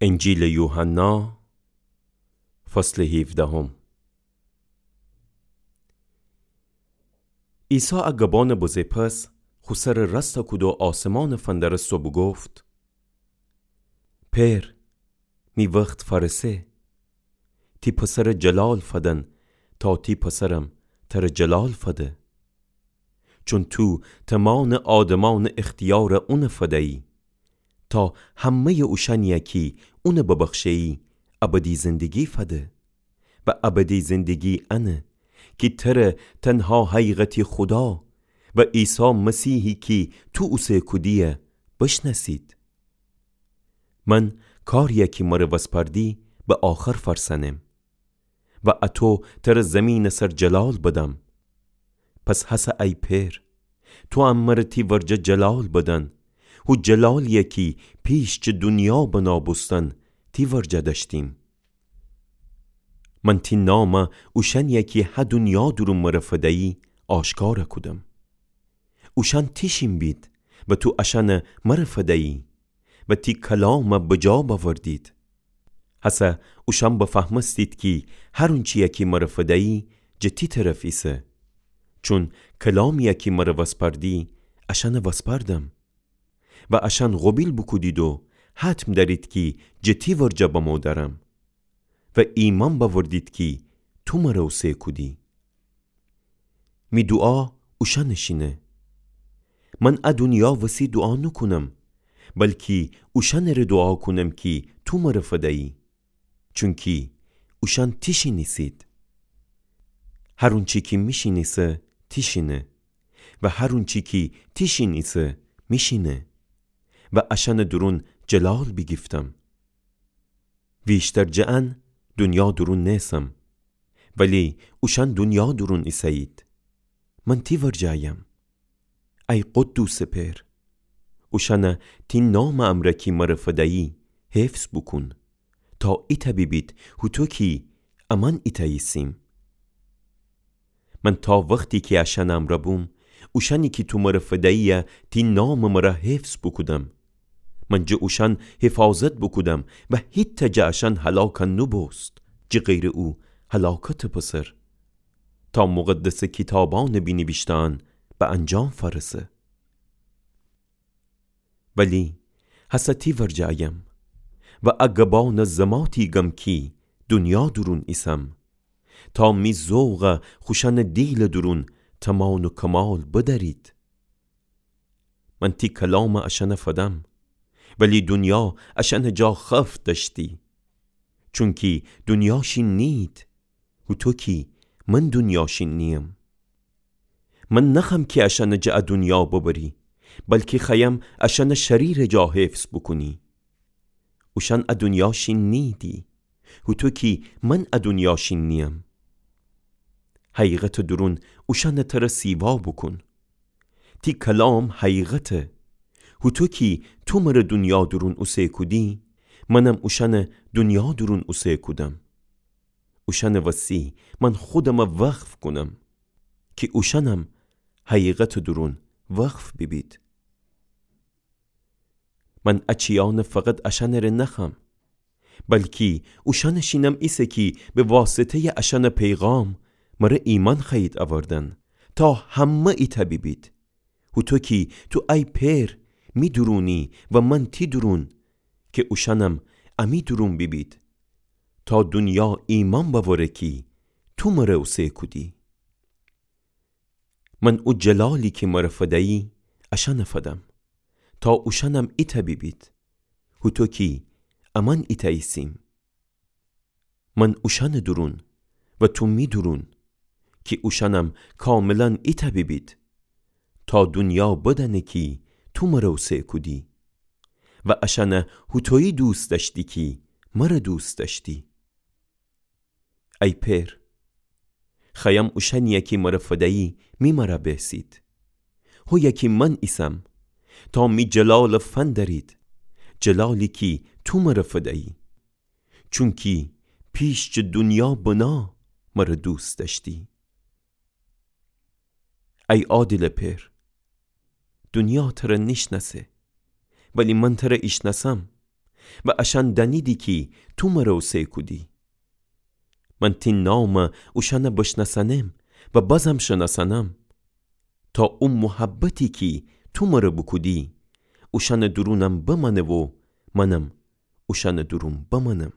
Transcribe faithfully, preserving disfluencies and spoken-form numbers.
انجیلٚ یوحنا، فصلٚ هیفدهم. عیسی ا گبانٚ بزه پس خو سرٚ راست کود و آسمانٚ فندرست و بوگفت: پئر، می وخت فأرسه. تی پسرٚ جلال فدن تا تی پسرم ترٚ جلال فده. چون تو تمانٚ آدمأنٚ اختیار اونٚ فدیی، تا همه‌یٚ اوشأنیی کی اونٚ ببخشه‌یی ابدی زندگی فده. و ابدی زندگی انه کی تره، تنها حقیقتی خودا، و عیسی مسیحی کی تو اوسه کودیی بشنأسید. من کاریی کی مره وسپاردی به آخر فأرسأنم. و اتو تره زیمینٚ سر جلال بدم. پس هسه ای پئر، توام مره تی ورجه جلال بدن، هو جلالیی کی پیش جٚه دونیا بنا بوستن تی ورجه دأشتیم. من تی نام اوشأنیی کی هه دونیا دورون مره فدیی آشکار کودم. اوشأن تیشین بید و تو اشأن مره فدیی و تی کلام بجا بأوردید. هسه اوشأن بفهمستید کی هر اونچیی کی مره فدیی جٚه تی طرف ایسه. چون کلامیی کی مره وسپاردی اشأن وسپاردم. و اشأن قوبیل بوکودید و حتم دأرید کی جٚه تی ورجه بمو دأرم. و ایمأن بأوردید کی تو مره اوسه کودی. می دوعا اوشأنٚ شینه. من ا دونیا وسی دوعا نوکونم، بلکی اوشأنٚ ره دوعا کونم کی تو مره فدیی. چونکی اوشأن تیشین ایسید. هر اونچی کی میشین ایسه تیشینه و هر اونچی کی تیشین ایسه میشینه و اشأنٚ دورون جلال بیگیفتم. ویشتر جٚه ان دونیا دورون نیسم، ولی اوشأن دونیا دورون ایسه‌یید. من تی ورجه ایم. ای قدوسٚ پئر، اوشأن تی نامٚ امرأ کی مره فدیی حفظ بوکون، تا ایتأ بیبید هوطو کی امأن ایتأ ایسیم. من تا وختی کی اشأنٚ امرأ بوم، اوشأنی کی تو مره فدیی تی نامٚ مره حفظ بوکودم. من جٚه اوشأن حفاظت بوکودم و هیتأ جٚه اشأن هلاک نوبوست، جٚه غیرٚ او هلاکتٚ پسر، تا مقدسٚ کیتابأنٚ بینیویشته‌یأن به انجام فأرسه. ولی هسه تی ورجه ایم و ا گبأن زماتی گم کی دونیا دورون ایسم، تا می ذوق خوشأنٚ دیلٚ دورون تمام و کمال بدأرید. من تی کلام اشأن فدم، ولی دونیا اشأنٚ جا خفت دأشتی. چونکی دونیا شین نیید، هوطو کی من دونیا شین نییم. من نخوأم کی اشأنٚ جٚه ا دونیا ببری، بلکی خوأیم اشأن شریرٚ جا حفظ بوکونی. اوشأن ا دونیا شین نیییدی، هوطو کی من ا دونیا شین نییم. حقیقتٚ دورون اوشأنٚ تره سیوا بوکون. تی کلام حقیقته. هوطو کی تو مره دونیا دورون اوسه کودی، منم اوشأن دونیا دورون اوسه کودم. اوشأنٚ وسی من خودم وقف کونم، کی اوشأنم حقیقتٚ دورون وقف بیبید. من ا چیأن فقط اشأنٚ ره نخوأم، بلکی اوشأنٚ شینم ایسه کی به واسطه‌یٚ اشأنٚ پیغام مره ایمأن خوأیید اوردن، تا همه ایتأ بیبید. هوطو کی تو ای پئر می دورونی و من تی دورون، کی اوشأنم امی دورون بیبید، تا دونیا ایمأن بأوره کی تو مره اوسه کودی. من او جلالی کی مره فدیی اشأن فدم، تا اوشأنم ایتأ بیبید، هوطو کی امأن ایتأ ایسیم. من اوشأنٚ دورون و تو می دورون، کی اوشأنم کاملا ایتأ بیبید، تا دونیا بدأنه کی تو مره اوسه کودی و اشأن هوطویی دوست دأشتی کی مره دوست دأشتی. ای پئر، خوأیم اوشأنیی کی مره فدیی می مره بیسید، هویی کی من ایسم، تا می جلال فندرید، جلالی کی تو مره فدیی. چونکی پیش جٚه دونیا بنا مره دوست دأشتی. ای عادلٚ پئر، دونیا تره نیشنأسه، ولی من تره ایشنأسم، و اشأن دأنیدی کی تو مرَ اوسه کودی. من تی نامَ اوشأنَ بشنأسأنم و بازم شنأسأنم، تا او محبتی کی تو مرَ بوکودی، اوشأنٚ دورونم بمأنه و منم اوشأنٚ دورون بمأنم.